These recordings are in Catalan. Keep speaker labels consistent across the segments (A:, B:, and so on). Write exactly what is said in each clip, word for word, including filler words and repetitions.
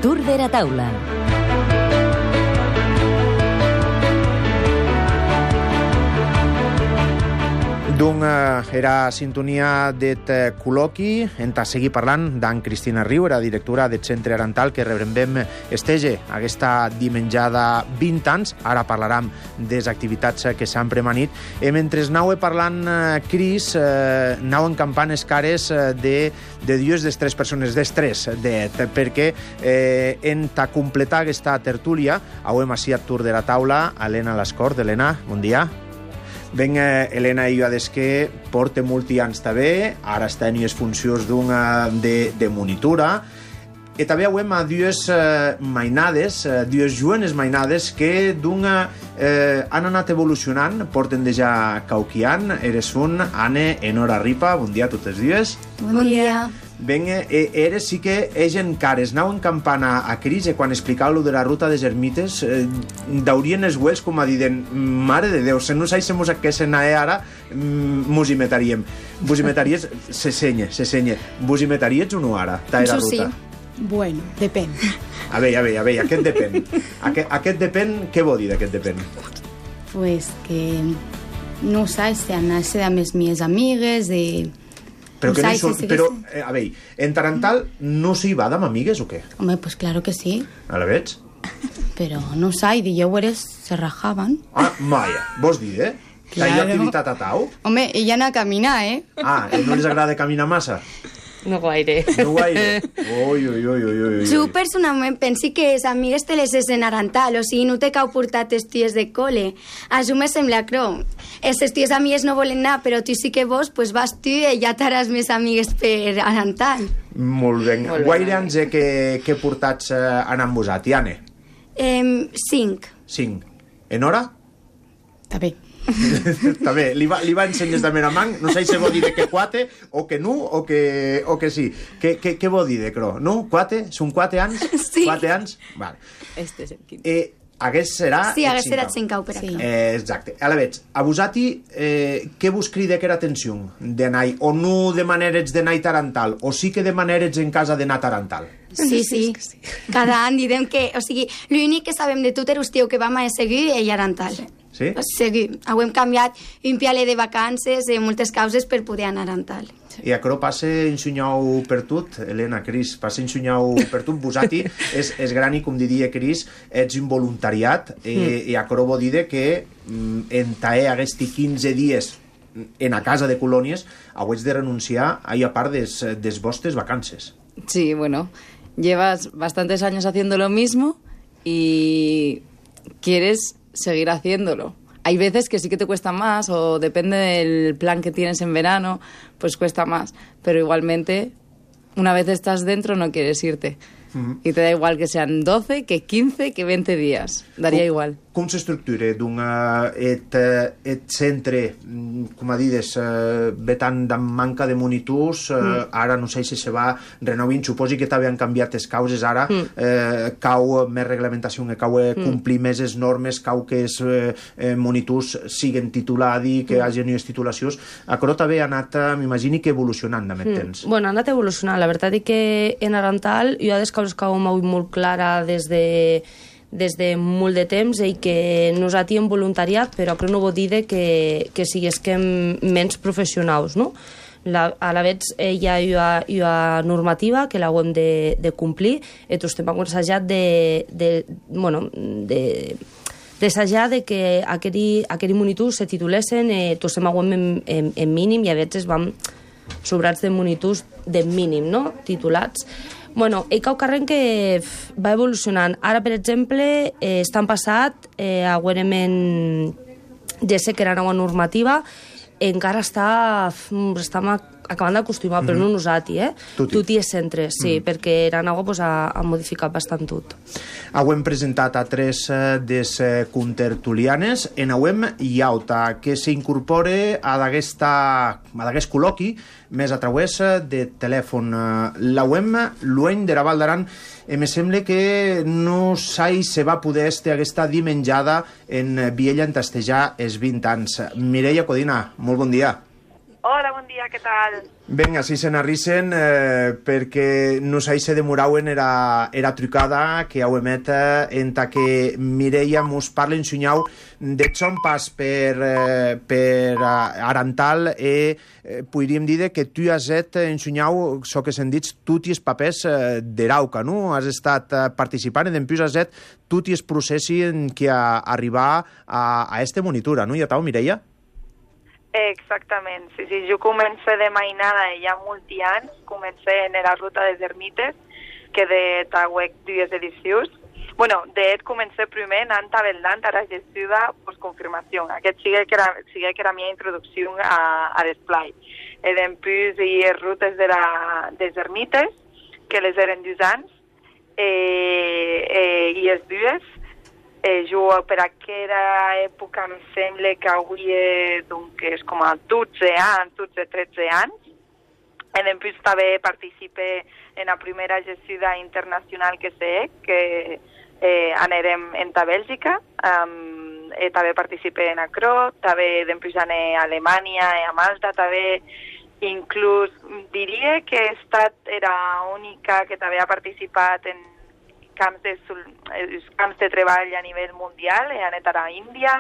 A: Tour de la taula.
B: Doncs eh, era sintonia d'et col·loqui. Hem de seguir parlant d'en Cristina Riu, era directora del Centre Arantal, que rebrem estege aquesta dimenjada vint anys. Ara parlarem de les activitats que s'han premanit. I mentre anau parlant, eh, Cris, eh, anau encampant les cares de, de dues de tres persones, des tres d'et, perquè eh, hem de completar aquesta tertúlia. Avui ací a Tour de la taula, Helena Lascort. Helena, bon dia. Ben, eh, Helena i jo des que porta molts anys també, ara està en les funcions d'una de, de monitora, i també avem a dues eh, mainades, eh, dues jovenes mainades que d'una eh, han anat evolucionant, porten de ja cauquiant. Eres un, Anne i Nora Ripa, bon dia a totes dues.
C: Bon dia.
B: Ben, eh, eres sí que egen cares, anau encampant a, a Cris, i quan explicava lo de la ruta des ermites, eh, daurien els uells com a dient, mare de Déu, se no sabésemos què se n'ha ara, mos hi metaríem. Vos hi metaries, se senya, se senya. Vos hi metaries o no ara, ta era ruta?
C: Sí. Bueno, depèn.
B: A veure, a veure, a veure, aquest depèn. Aquest, aquest depèn, què vol dir d'aquest depèn?
C: Pues que no saps si anar-se amb les meves amigues, de...
B: Però, que no hi són, però eh, a veure, en Tarantal no s'hi va amb amigues o què?
C: Home, pues claro que sí.
B: A la veig?
C: Però no sé, dijous se rajaven.
B: Ah, maia, vols dir, eh? Claro. Hi ha activitat a tau?
C: Home, ella anà a caminar, eh?
B: Ah, no els agrada caminar massa?
D: No gaire.
B: No gaire? Ui, ui, ui, ui, ui.
E: Jo personalment penso que les amigues te les és en Arantal, o sigui, no te cau portar els tios de col·le. Això me sembla crom. Els tios amigues no volen anar, però tu sí que vols, pues vas tu i ja t'haràs més amigues per Arantal.
B: Molt bé. Guaire anys que, que portats eh, anant vosat, Anne?
E: Eh, cinc.
B: Cinc. En hora?
C: També.
B: També, li va, li va ensenyar de Meramang, no sé si vol dir de que quatre, o que no, o que, o que sí. Què, què, què vol dir de cro? No? Quatre? Són quatre anys?
E: Sí.
B: Quatre anys? Vale.
D: Este és el quinze.
B: Eh, hagués serà...
E: Sí, hagués serà cinc per acá.
B: Eh, exacte. A la veig, a vosati, eh, què vos crida que era atenció d'anar, o no de maneres d'anar a Tarantal, o sí que de maneres en casa d'anar a Tarantal?
E: Sí, sí. Cada any direm que... O sigui, l'únic que sabem de tot era el que vam a seguir i Arantal.
B: Sí?
E: Seguir. Hem canviat un piale de vacances i moltes causes per poder anar a Arantal.
B: I a Cro passa ensunyau per tot, Helena, Cris, passa ensunyau per tot. Vosati és, és gran i, com diria Cris, ets un voluntariat, mm. i, i a Cro vol dir que mm, en tae aquests quinze dies en a casa de colònies hauets de renunciar a, a part des, des vostres vacances.
D: Sí, bueno, llevas bastantes años haciendo lo mismo y quieres seguir haciéndolo. Hay veces que sí que te cuesta más, o depende del plan que tienes en verano, pues cuesta más. Pero igualmente, una vez estás dentro, no quieres irte. Uh-huh. I te da igual que sean doce, que quince, que veinte días. Daria
B: com,
D: igual.
B: Com s'estructura d'un et, et centre, com a dides, eh, vetant de manca de monitors, eh, mm. ara no sé si se va renovint, suposi que també han canviat les causes, ara mm. eh, cau més reglamentació, que cau eh, complir mm. més les normes, cau que els eh, monitors siguen titulats, que mm. hagin unes titulacions. A Cro també ha anat, eh, m'imagini que evolucionant amb el mm. temps.
F: Bueno, ha anat evolucionant. La veritat és que en Arantal jo ha des causes que ho m'ho molt clara des de des de molt de temps i que nosaltres hem voluntariat, però crec no vol dir que, que siguesquem menys professionals, no? La, a la vegada eh, hi, ha, hi, ha, hi ha normativa que l'hem de, de complir i tots estem aconsejat de, de, bueno, de d'assajar de que aquells monitors se titulessin, eh, tots estem en, en, en mínim i a vegades vam sobrats de monitors de mínim, no? Titulats. Bueno, hi cau carrer que va evolucionant. Ara, per exemple, eh, estan passat, eh, agüerament, ja sé que era nova normativa, encara està, està acabant d'acostumar, però no nosaltres, eh?
B: Tuti.
F: Tuti és centre, sí, mm. perquè era nova pues, ha, ha modificat bastant tot.
B: Hem presentat a tres eh, des eh, contertulianes, en auem Iauta, que s'incorpora a d'aquest col·loqui més a través de telèfon. L'auem lueny de la Val d'Aran, i me sembla que no sai se va poder estar aquesta dimenjada en Viella en tastejar els vint anys. Mireia Codina, molt bon dia.
G: Hola, bon dia,
A: què tal?
B: Vinga, si se n'arrissen, eh, perquè no s'hi se demorauen era, era trucada que heu emet en ta que Mireia mos parla en sunyau de son pas per, eh, per Arantal e eh, podríem dir que tu has estat en sunyau, so que se'n dits, tots els papers eh, d'Erauca, no? Has estat eh, participant i després has estat tots els processos en què a, arribar a, a este monitura, no? I a tau, Mireia?
A: Exactament, sí, sí, jo comencé de mainada ja molts anys, comencé en la ruta de ermites, que de tauec dues edicions. Bueno, de et comencé primer anant a Beldant a la gestió de postconfirmació. Aquest sigue que era, sigue que era la meva introducció a, a l'esplai. E després hi ha rutes de la, de ermites, que les eren dos anys, eh, eh, i les dues. Eh, jo per aquella època em sembla que avui és, doncs, és com a dotze anys, dotze tretze anys. I després també participé en la primera gestió internacional que sé, que eh, anirem en ta Bèlgica. Um, eh, també participé en Acro, també després anem a Alemanya i a Malta, també inclús diria que he estat era única que també ha participat en camps de, camps de treball a nivell mundial, he anat a l'Índia,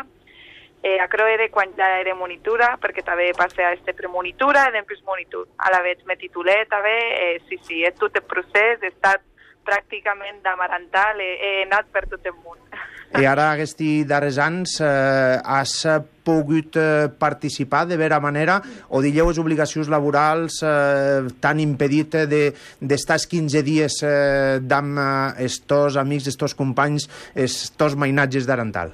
A: eh, a Croede quan ja era monitura, perquè també passé a este premonitura i després monitor. A la vegada me titulé també, eh, sí, sí, és tot el procés, he estat pràcticament d'Amarantal, he, he anat per tot el món.
B: I ara, aquests darrers anys, eh, has pogut eh, participar de vera manera o digueu les obligacions laborals eh, t'han impedit d'estar de, quinze dies eh, amb eh, estos amics, estos companys, estos mainatges d'Arantal?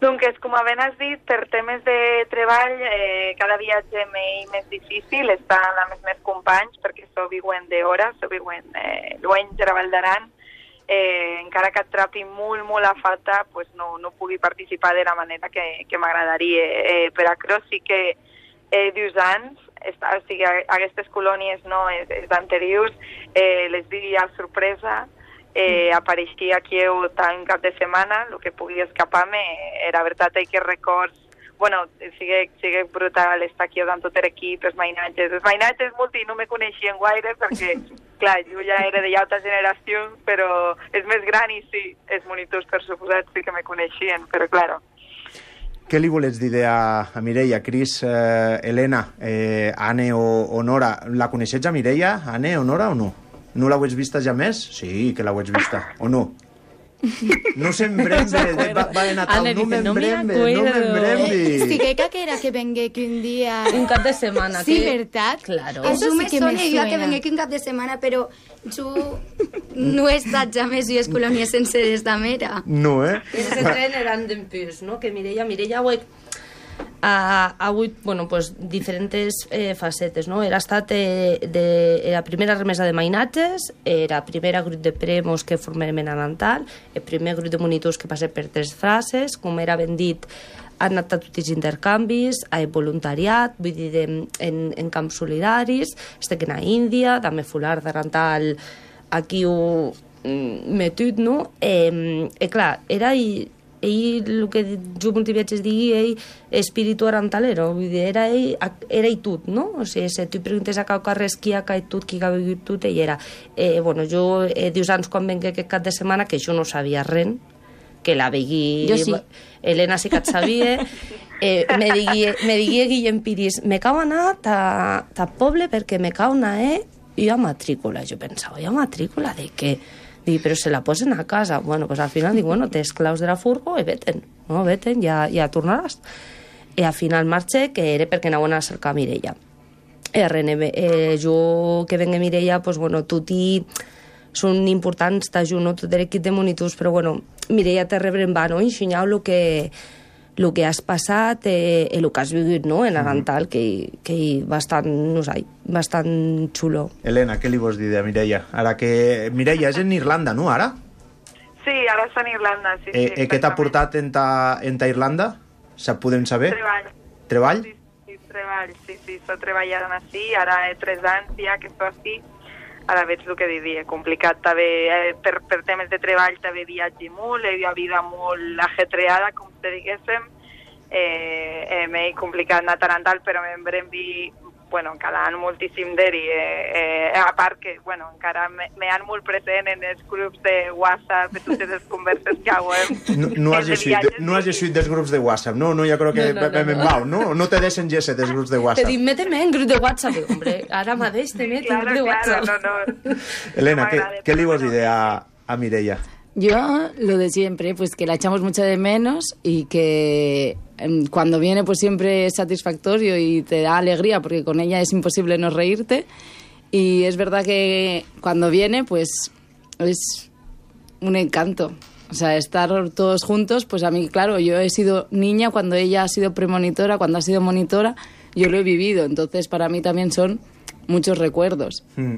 A: Doncs, com ben has dit, per temes de treball, eh, cada viatge m'és més difícil estar amb els meus companys, perquè so viuen d'hora, so viuen eh, lluny de la Val d'Aran. Eh, encara que et trapi molt, molt a falta, pues no, no pugui participar de la manera que, que m'agradaria. Eh, per Acro sí que eh, dos anys, està, o sigui, aquestes colònies no, és, és anteriors, eh, les diria sorpresa, eh, apareixia aquí tant cap de setmana, el que pugui escapar-me era veritat que records, bueno, sigue, sigue brutal estar aquí amb tot l'equip, els mainatges. Els mainatges multi no me coneixien gaire perquè, clar, jo ja era de altra generació, però és més gran i sí, els monitors, per suposat, sí que me coneixien, però, clar.
B: Què li volets dir a, a Mireia, Cris, eh, Helena, eh, Anne o, o Nora? La coneixets a Mireia, Anne o Nora, o no? No l'heu vista ja més? Sí, que l'heu vista, o no? No s'embrembe, va, va de Natal, no m'embrembe, no m'embrembe.
C: Estigueca que era que vengué que un dia...
F: Un cap de setmana.
C: Sí,
F: que...
C: ¿verdad?
F: Claro.
C: Eso sí que me suena.
E: que vengué que un cap de setmana, però jo no he estat ja més dues colònies senceres d'Amera.
B: No, eh?
F: Els tren eren d'empús, no? Que Mireia, Mireia ho he... ha hagut, bueno, pues, diferents eh, facetes, no? Era estat eh, de, la primera remesa de mainatges, era primera grup de premos que formem en Arantal, el primer grup de monitors que passé per tres frases, com era ben dit, han anat a tots els intercanvis, a voluntariat, vull dir, de, en, en camps solidaris, estic a Índia, també fular d'Arantal, aquí ho metut, no? Eh, eh, clar, era... I, ell, el que jo moltes vegades digui, ell, espíritu arantalero, vull dir, era ell, era ell tot, no? O sigui, si tu preguntes a cau carrers qui ha caït tot, qui ha begut tot, ell era. Eh, bueno, jo, eh, dius anys quan venc aquest cap de setmana, que jo no sabia res, que la vegui... Jo sí. Helena sí que et sabia. Eh, me digui, me digui Guillem Piris, me cau anar ta, ta poble perquè me cau anar, eh? I a matrícula. Jo pensava, i a matrícula de què? Dic, però se la posen a casa. Bueno, pues al final dic, bueno, tens claus de la furgo i veten, no? Veten, ja, ja tornaràs. I al final marxé, que era perquè anaven a cercar Mireia. Eh, eh, jo que venga Mireia, pues bueno, tot i són importants, t'ajunt, no? Tot l'equip de monitors, però bueno, Mireia te rebre en va, no? Ensenyar el que el que has passat, eh, el que has viscut, no? En Arantal, que, que bastant, no sé, bastant xulo.
B: Helena, què li vols dir de Mireia? Ara que Mireia és en Irlanda, no, ara?
A: Sí, ara és en Irlanda, sí.
B: Eh,
A: sí
B: eh, què t'ha portat en ta, en ta Irlanda? Se podem saber?
A: Treball.
B: Treball?
A: Sí, sí, treball, sí, sí, so treballant així, ara he tres anys ja que so així, ara veig el que diria, complicat també, eh, per, per temes de treball també viatge molt, hi ha vida molt ajetreada, com te diguéssim, eh, eh, m'he complicat anar a Tarantal, però me'n brembi, bueno, cada any moltíssim d'eri, eh, eh, a part que, bueno, encara me, me han molt present en els grups de WhatsApp, de totes les converses que hauem.
B: No, no has llegit no has llegit dels grups de WhatsApp, no? No, jo crec que no, no, no, no. Val, no? No te deixen llegir dels grups de WhatsApp.
F: Te dic, méteme en grup de WhatsApp. Hombre, ara mateix te meto en grup de WhatsApp.
A: Claro, no, no.
B: Elena, ¿qué, ¿qué le ibas a decir a, a Mireia?
D: Yo lo de siempre, pues que la echamos mucho de menos y que cuando viene pues siempre es satisfactorio y te da alegría porque con ella es imposible no reírte, y es verdad que cuando viene pues es un encanto, o sea, estar todos juntos. Pues a mí, claro, yo he sido niña cuando ella ha sido premonitora, cuando ha sido monitora, yo lo he vivido, entonces para mí también son muchos recuerdos. Mm.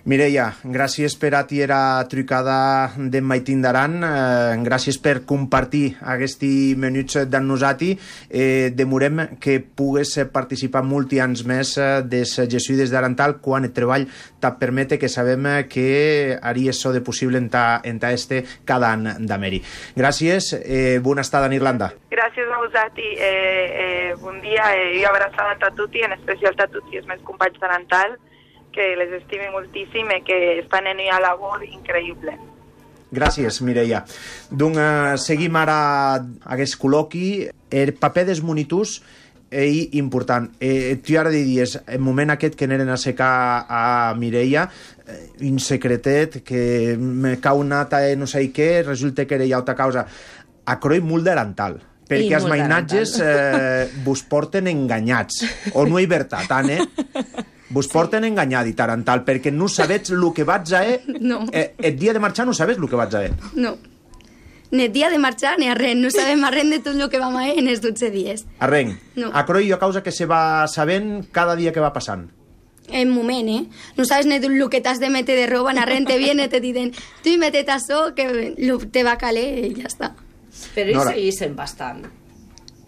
B: Mireia, gràcies per atira trucada d'en Maitín d'Aran, eh, gràcies per compartir aquests minuts d'en nosati. Eh, demorem que pugues participar molts anys més des Jesuïdes d'Arantal quan el treball te permete, que sabem que haries so de possible en ta, en ta este cada any d'Ameri. Gràcies, eh, bona estada en Irlanda.
A: Gràcies a vosaltres, eh, eh, bon dia, eh, i abraçada a tutti, en especial a tutti els meus companys d'Arantal, que les estime moltíssim i que estan en una labor increïble.
B: Gràcies, Mireia. Doncs uh, seguim ara aquest col·loqui. El paper dels monitors és important. Eh, tu ara diries, el moment aquest que aneren a secar a Mireia, eh, un secretet, que me cau nata i no sé què, resulta que era altra causa. A croi molt d'Arantal, perquè els mainatges eh, vos porten enganyats. O no hi veritat, Anne? Vos porten sí. enganyat i Tarantal, perquè no sabets el que vaig a eh,
E: no.
B: eh, el dia de marxar no sabes el que vaig a eh.
E: No, ni el dia de marxar ni a res, no sabem a res de tot el que vam a eh en els dotze dies.
B: A res?
E: No.
B: A croi a causa que se va sabent cada dia que va passant.
E: En moment, eh? No sabes ni el que t'has de meter de roba, a res te viene, te dicen, tu metet això, que te va caler i ja està.
F: Però no, hi seguís bastant.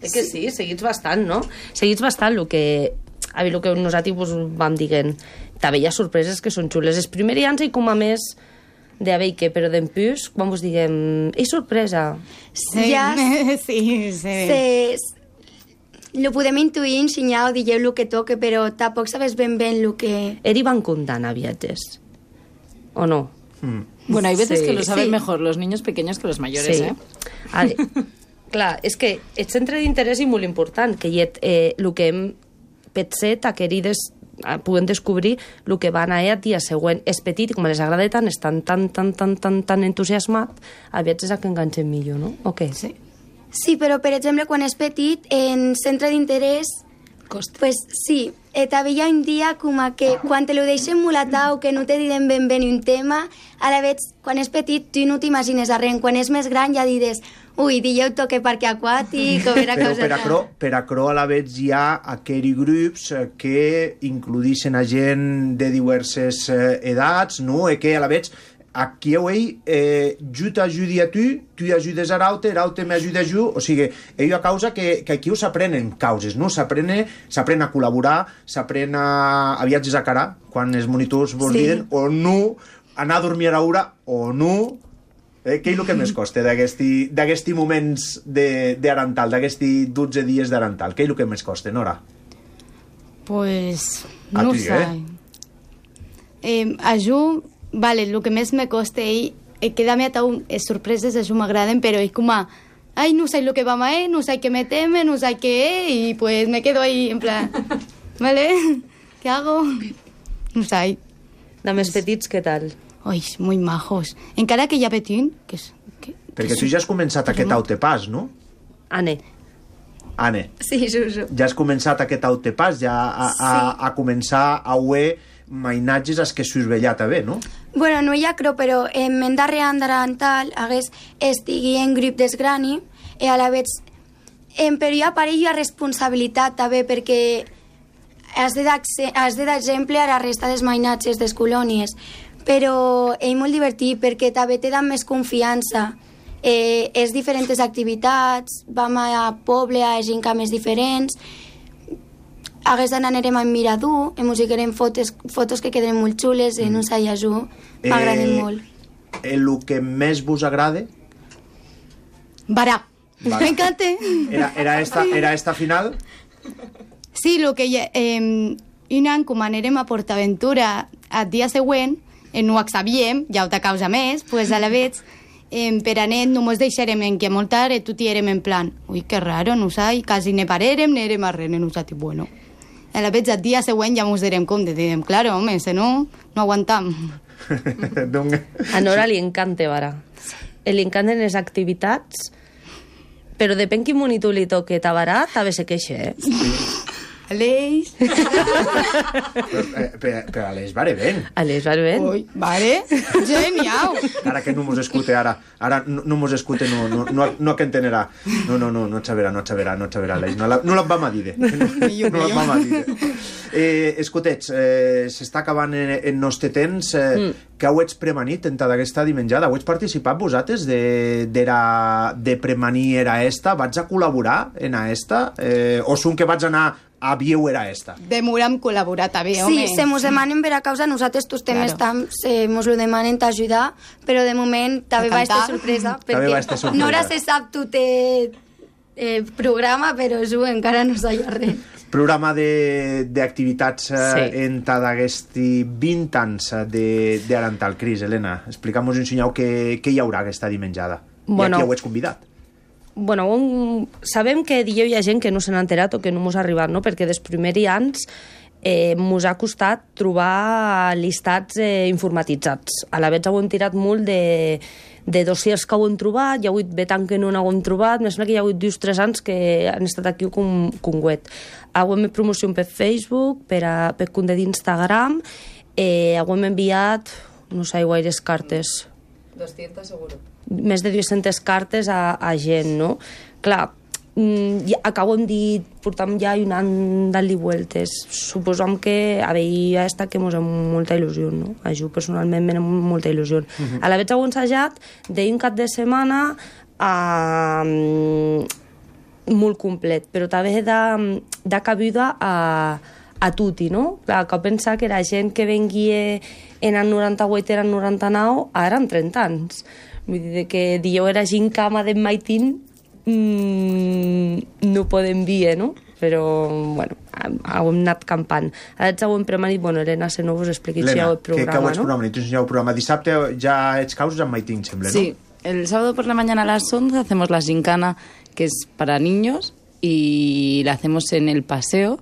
F: És que sí, seguits bastant, no? Seguits bastant el que... A veure, el que nosaltres pues, vam dient, també hi ha sorpreses que són xules. Els primers anys hi com a més de haver que, però d'empús, quan vos diguem, és sorpresa.
C: Sí,
E: ja,
C: sí, sí.
E: Se, lo podem intuir, ensenyar o digueu el que toque, però tampoc sabes ben ben el que...
F: Eri van comptant a viatges, o no?
D: Hmm. Bueno, hay veces
F: sí.
D: que lo saben
E: sí.
D: mejor los niños pequeños que los mayores,
F: sí.
D: ¿eh?
F: A ver, clar, és que el centre d'interès és molt important, que hi ha eh, el que hem petset a querides puguem descobrir el que van a el dia següent. És petit i com les agrada tant, estan tan, tan, tan, tan, tan entusiasmat, a veces és a que enganxen millor, no? O què?
E: Sí. Sí, però per exemple, quan és petit, en centre d'interès, pues sí, eh, també hi ha un dia com a que quan te lo deixen molt atau, que no te diuen ben bé un tema, a la vegada, quan és petit, tu no t'imagines a res. Quan és més gran ja dides, ui, dijeu toque parque aquàtic, o vera
B: però
E: cosa...
B: per a cro, per a cro a la vegada hi ha aquells grups que includixen a gent de diverses edats, no? I que a la vegada aquí ell, eh, jo t'ajudi a tu, tu ajudes a l'altre, l'altre m'ajuda a jo, o sigui, ell a causa que, que aquí ho s'aprenen causes, no? S'aprèn a col·laborar, s'aprèn a, a viatges a cara, quan els monitors vos sí. diuen, o no, anar a dormir a l'hora, o no... Eh, què és el que més costa d'aquests moments d'Arantal, d'aquests dotze dies d'Arantal? Què és el que més costa, Nora?
C: Pues,
B: a
C: no
B: tu,
C: sé.
B: Eh?
C: Eh, a jo, vale, el que més me costa és eh, quedar-me a taú, les sorpreses a jo m'agraden, però és com a, ai, no sé lo que vam a eh, no sé què meteme, no sé què eh, y pues me quedo ahí, en plan, vale, ¿qué hago? No sé.
F: De més petits, què tal?
C: Ai, muy majos. Encara que hi ha petit, que és... Que,
B: Perquè tu ja has començat aquest autopàs, no?
F: Ane.
B: Ane.
E: Sí, Suso.
B: Ja has començat aquest autopàs, ja a, a,
E: sí.
B: a començar a oer mainatges als que s'us veia també, no?
E: Bueno, no hi ha creu, però en men darrer any d'Arantal hagués estigui en grup d'esgrani i a la vegada en però hi ha per ell responsabilitat també, perquè has de dar exemple a la resta dels mainatges des colònies, però és molt divertit perquè també te dan més confiança. Eh, és diferents activitats, vam a poble, a gincames diferents, aquesta anarem a Mirador, em musicarem fotos, fotos que queden molt xules, en un sallajú, m'agraden
B: eh,
E: molt.
B: El que més vos agrada?
C: Barà.
B: Vale.
C: M'encanta.
B: Era, era, esta, era esta final?
C: Sí, el que ja, eh, un any, com anirem a PortAventura el dia següent, eh, no ho sabíem, ja ho te causa més, pues a la vez, eh, per anet no mos deixarem en que molt tard tutti érem en plan, ui, que raro, no sai, quasi ne parérem, ne érem a res, no saps, bueno. A la vez el dia següent ja mos direm compte, direm, claro, home, si no, no aguantam.
F: A Nora li encanta, vara. Li encanten les activitats, però depèn quin monitor li toque tabarà, també se queixa, eh?
C: Aleix.
B: Però, però a les vare ben.
F: A les va bé.
C: Ui, vale, genial.
B: Ara que no mos escute, ara. Ara no, no mos escute, no, no, no, no que entenderà. No, no, no, no xaverà, no xaverà, no xaverà, Aleix. No la, no la vam a dir. No, no la vam a dir. Eh, escutets, eh, s'està acabant en, en nostre temps. Eh, mm. Que heu ets premanit en tota aquesta dimenjada? Heu ets participat vosaltres de, de, era, de premanir era esta? Vaig a col·laborar en a esta? Eh, o són que vaig anar a vieu era esta?
C: Demorem col·laborar també, home.
E: Sí, se mos demanen per a causa, nosaltres tots temes
C: Claro.
E: tam, se mos lo demanen t'ajudar, però de moment també
C: A
E: va estar
C: cantar.
E: sorpresa,
B: També va estar
E: perquè
B: sorpresa.
E: Nora se sap tot el eh, programa, però jo encara no sabia res.
B: Programa d'activitats eh,
F: Sí.
B: en d'aquesti vint anys de, de Arantal. Cris, Helena, explica'm-nos un senyal què, què hi haurà aquesta dimenjada.
F: Bueno.
B: I aquí heu ets convidat.
F: Bueno, un... sabem que dieu hi ha gent que no se n'ha enterat o que no mos ha arribat, no? Perquè dels primers anys eh, mos ha costat trobar llistats eh, informatitzats. A la vegada ho hem tirat molt de, de dossiers que ho hem trobat, hi ha hagut betant que no n'ho hem trobat, més que hi ha hagut dos o tres anys que han estat aquí com, com web. Ho hem promoció per Facebook, per, a, per compte d'Instagram, eh, ho hem enviat, no sé, gaires cartes.
D: doscientas seguro.
F: Més de dues-centes cartes a, a gent, no? Clar, mm, ja, acabo de dir, portam ja un any dant-li vueltes. Suposam que a veia esta que mos ha molta il·lusió, no? A jo personalment m'ha molta il·lusió. Uh -huh. A la vegada ho he ensajat d'un cap de setmana a... molt complet, però també de, de cabuda a, a tutti, no? Clar, que pensar que era gent que venguia en el noranta-vuit, era el noranta-nou, ara en trenta anys. Vull dir que dieu era gent cama de maitín, mmm, no podem dir, no? Però, bueno, ho hem anat campant. Ara ho hem premanit, bueno, Helena, si no vos expliquis ja el programa,
B: que, que ho ets
F: no?
B: programa? Tu ensenyeu el programa. Dissabte ja ets causes amb Maitín, sembla, no?
D: Sí, el sábado por la mañana a las once hacemos la gincana, que es para niños, y la hacemos en el paseo.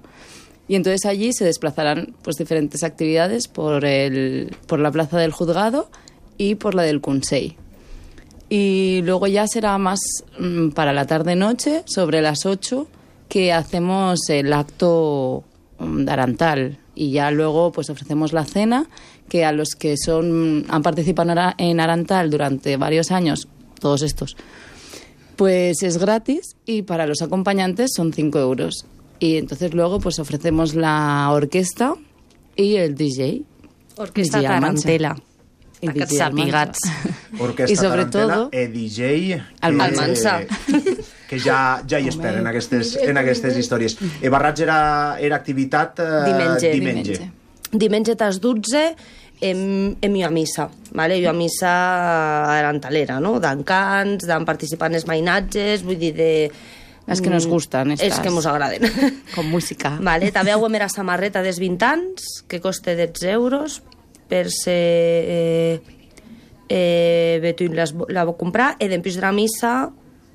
D: Y entonces allí se desplazarán pues diferentes actividades por, el, por la plaza del juzgado y por la del Consell. Y luego ya será más mmm, para la tarde-noche, sobre las ocho, que hacemos el acto um, de Arantal. Y ya luego pues ofrecemos la cena, que a los que son han participado en Arantal durante varios años, todos estos, pues es gratis, y para los acompañantes son cinco euros. Y entonces luego pues ofrecemos la orquesta y el D J.
F: Orquesta
D: D J Almansa.
F: Tarantela.
D: Y D J
F: Aquests sàpigats.
B: Orquestra
D: I sobre
B: Tarantela,
D: todo-
B: e D J...
F: Almansa.
B: Que, que ja, ja hi esperen en aquestes, en aquestes històries. E Barrats era, era activitat eh,
F: Diumenge.
B: diumenge.
D: Diumenge.
F: Diumenge a les dotze hem, hem ido a missa, vale? Jo a missa arantalera, no? D'encants, d'en participar en els mainatges, vull dir, de...
D: Las que nos gustan, estas.
F: Els que ens agraden.
D: Con música.
F: Vale, també ho hem era samarreta dels vint anys, que costa dotze euros, per ser... Eh, eh, Betuin les, la va comprar, i després de la missa,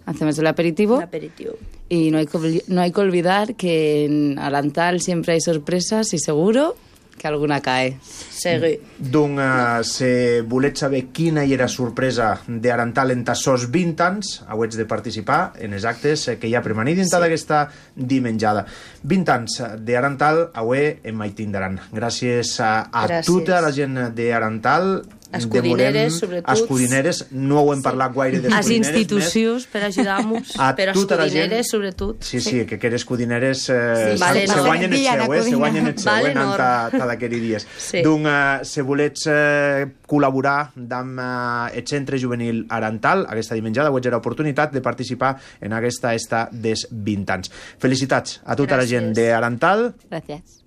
D: Hacemos el aperitivo.
F: l'aperitiu.
D: Y no hay, que, olvi- no hay que olvidar que en Arantal siempre hay sorpresas y seguro que alguna cae.
F: Segui.
B: Doncs, uh, si volets saber quina hi era sorpresa d'Arantal en tassos vint anys, heu de participar en els actes que hi ha premanit dintre sí. d'aquesta dimenjada. vint anys d'Arantal, avui en Maitín d'Aran. Gràcies a, a
F: Gràcies.
B: tota la gent d'Arantal.
F: Escudineres, sobretot.
B: Escudineres, no ho hem parlat gaire
F: Les
B: d'escudineres.
F: institucions per ajudar-nos,
B: A
F: però
B: tota la gent-
F: escudineres, sobretot.
B: Sí, sí, que que eres escudineres eh,
F: Sí, vale,
B: se
F: no.
B: guanyen el
C: Dia de
B: seu, eh? Se
C: codina.
B: guanyen el seu,
F: Vale,
B: eh? Anant
F: no.
B: a, a d'aquests dies.
F: Sí.
B: Doncs, eh, si volets eh, col·laborar amb eh, el Centre Juvenil Arantal, aquesta dimenjada, ho ets l'oportunitat de participar en aquesta esta des vint anys. Felicitats a tota
F: Gràcies.
B: la gent d'Arantal
D: Gracias.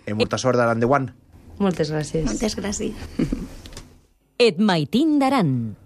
B: i molta sort d'Arandeuan.
F: Moltes gràcies.
E: Moltes gràcies.
G: Et Maitín d'Aran.